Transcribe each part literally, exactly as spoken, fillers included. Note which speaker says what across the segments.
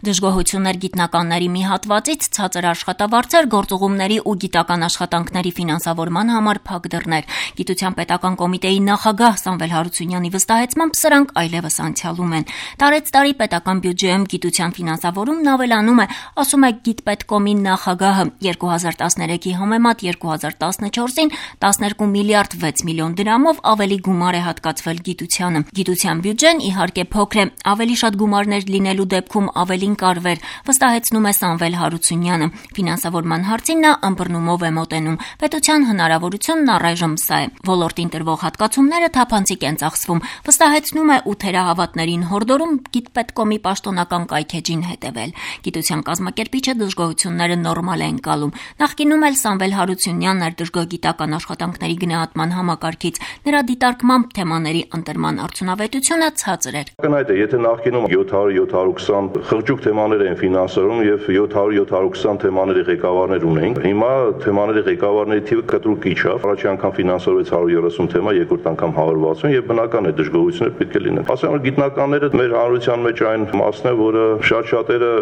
Speaker 1: Դժգոհություններ գիտնականների մի հատվածից, ցածր աշխատավարձեր, գործուղումների ու գիտական աշխատանքների ֆինանսավորման համար փակ դռներ։ Գիտության պետական կոմիտեի նախագահ Սամվել Հարությունյանի վստահեցմամբ սրանք այլևս անցյալում են։ Տարեց տարի պետական բյուջեում գիտության ֆինանսավորումն ավելանում է, ասում է Գիտպետկոմի նախագահը։ երկու հազար տասներեքի համեմատ երկու հազար տասնչորսին տասներկու միլիարդ վեց միլիոն դրամով ավելի գումար է հատկացվել գիտությանը։ Գիտության բյուջեն իհարկե փոքր է, ավելի շատ գումարներ լինելու դեպքում ավելին կարվեր, վստահեցնում է Սամվել Հարությունյանը։ Ֆինանսավորման հարցին նա ըմբռնումով է մոտենում։ Պետության հնարավորությունն առայժմ սա է։ Ոլորտին տրվող հատկացումները թափանցիկ են ծախսվում, վստահեցնում է ու թերահավատներին հորդորում Գիտպետկոմի պաշտոնական կայքեջին հետևել։ Գիտության կազմակերպիչը դժգոհությունները նորմալ է ընկալում։ Նախկինում էլ Սամվել Հարությունյանն էր դժգոհ գիտական աշխատանքների գնահատման համակարգից։ Նրա դիտարկմամբ թեմաների ընտրման արդյունավետությունը ցածր էր։
Speaker 2: Կնայդ է, եթե նախկինում յոթ հարյուր յոթ հարյուր քսան խղճուկ թեմաներ են ֆինանսավորում եւ յոթ հարյուր յոթ հարյուր քսան թեմաների ղեկավարներ ունենք, հիմա թեմաների ղեկավարների թիվը կտրուկ իջավ։ Առաջի անգամ ֆինանսավորվեց հարյուր երեսուն թեմա, երկրորդ անգամ հարյուր վաթսուն եւ բնական է դժգոհություններ պետք է լինեն։ Ասեմ, գիտնականները մեր հանրության մեջ այն մասն է, որը շատ շատերը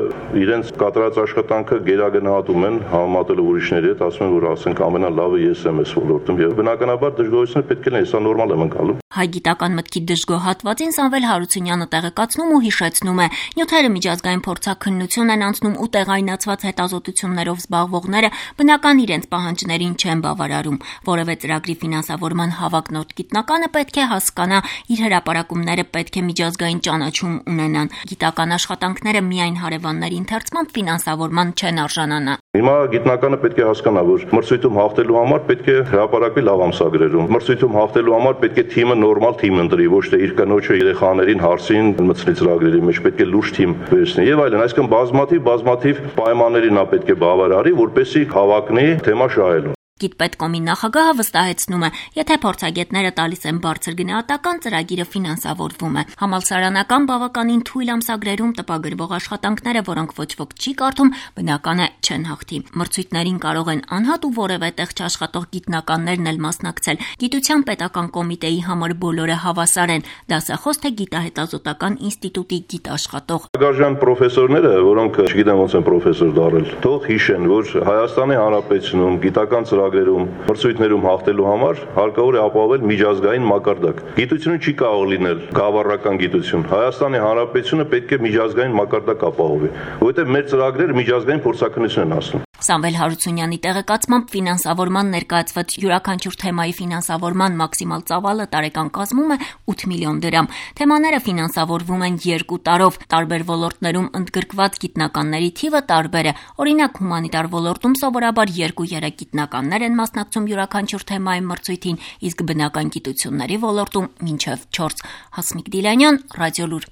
Speaker 2: իրենց կատարած աշխատանքը գերագնահատում են, համեմատելով ուրիշների հետ, ասում են, որ ասենք ամենալավը ես եմ այս ոլորտում եւ բնականաբար դժգոհություններ պետք է լինեն, սա նորմալ եմ ընկալում։
Speaker 1: Հայ գիտական մտքի դժգոհ հատվածին Սամվել Հարությունյանը տեղեկացնում ու հիշեցնում է. նյութերը միջազգային փորձաքննություն են անցնում ու տեղայնացված հետազոտություններով զբաղվողները բնական իրենց պահանջներին չեն բավարարում։ Որևէ ծրագրի ֆինանսավորման հավակնոտ գիտնականը պետք է հասկանա, իր հրապարակումները պետք է միջազգային ճանաչում ունենան։ Գիտական աշխատանքները միայն հարևանների ընթերցմամբ ֆինանսավորման չեն արժանանա։
Speaker 2: Հիմա գիտնականը պետք է հասկանա, որ մրցույթում հաղթելու համար պետք է հրապարակվի լավ ամսագրերում։ Մրցույթում հաղթելու համար պետք է թիմը նորմալ թիմ ընտրի, ոչ թե իր կնոջը երեխաներին հարցին մտցնի ծրագրերի մեջ, պետք է լուրջ թիմ վերցնի եւ այլն։ Այսինքն բազմաթիվ բազմաթիվ պայմանների նա պետք է բավարարի, որպեսզի հավակնի թեմա շահելուն։
Speaker 1: Գիտպետկոմի նախագահը վստահեցնում է, եթե փորձագետները տալիս են բարձր գնահատական, ծրագիրը ֆինանսավորվում է։ Համալսարանական բավականին թույլ ամսագրերում տպագրվող աշխատանքները, որոնք ոչ ոք չի կարդում, բնական է չեն հաղթի։ Մրցույթներին կարող են անհատ ու որևէ տեղ չաշխատող գիտնականներն էլ մասնակցել։ Գիտության պետական կոմիտեի համար բոլորը հավասար են, դասախոս թե գիտահետազոտական ինստիտուտի գիտաշխատող։
Speaker 2: Գարժան պրոֆեսորները, որոնք չգիտեմ ոնց են պրոֆեսոր դառել, թող հիշեն, որ Հայաստանի Հանրապետությունում գիտական ծրագրերում մրցույթներում հաղթելու համար հարկավոր է ապահովել միջազգային մակարդակ։ Գիտությունը չի կարող լինել գավառական գիտություն։ Հայաստանի Հանրապետությունը պետք է միջազգային մակարդակ ապահովի, որովհետև մեր ծրագրերը միջազգային փորձաքննություն են հասնում։
Speaker 1: Սամվել Հարությունյանի տեղեկացմամբ ֆինանսավորման ներկայացված յուրաքանչյուր թեմայի ֆինանսավորման մաքսիմալ ծավալը տարեկան կազմում է ութ միլիոն դրամ։ Թեմաները ֆինանսավորվում են երկու տարով։ Տարբեր ոլորտներում ընդգրկված գիտնականների թիվը տարբեր է։ Օրինակ, հումանիտար ոլորտում սովորաբար երկու-երեք գիտնականներ են մասնակցում յուրաքանչյուր թեմայի մրցույթին, իսկ բնական գիտությունների ոլորտում մինչև չորս։ Հասմիկ Դիլանյան, Ռադիոլուր։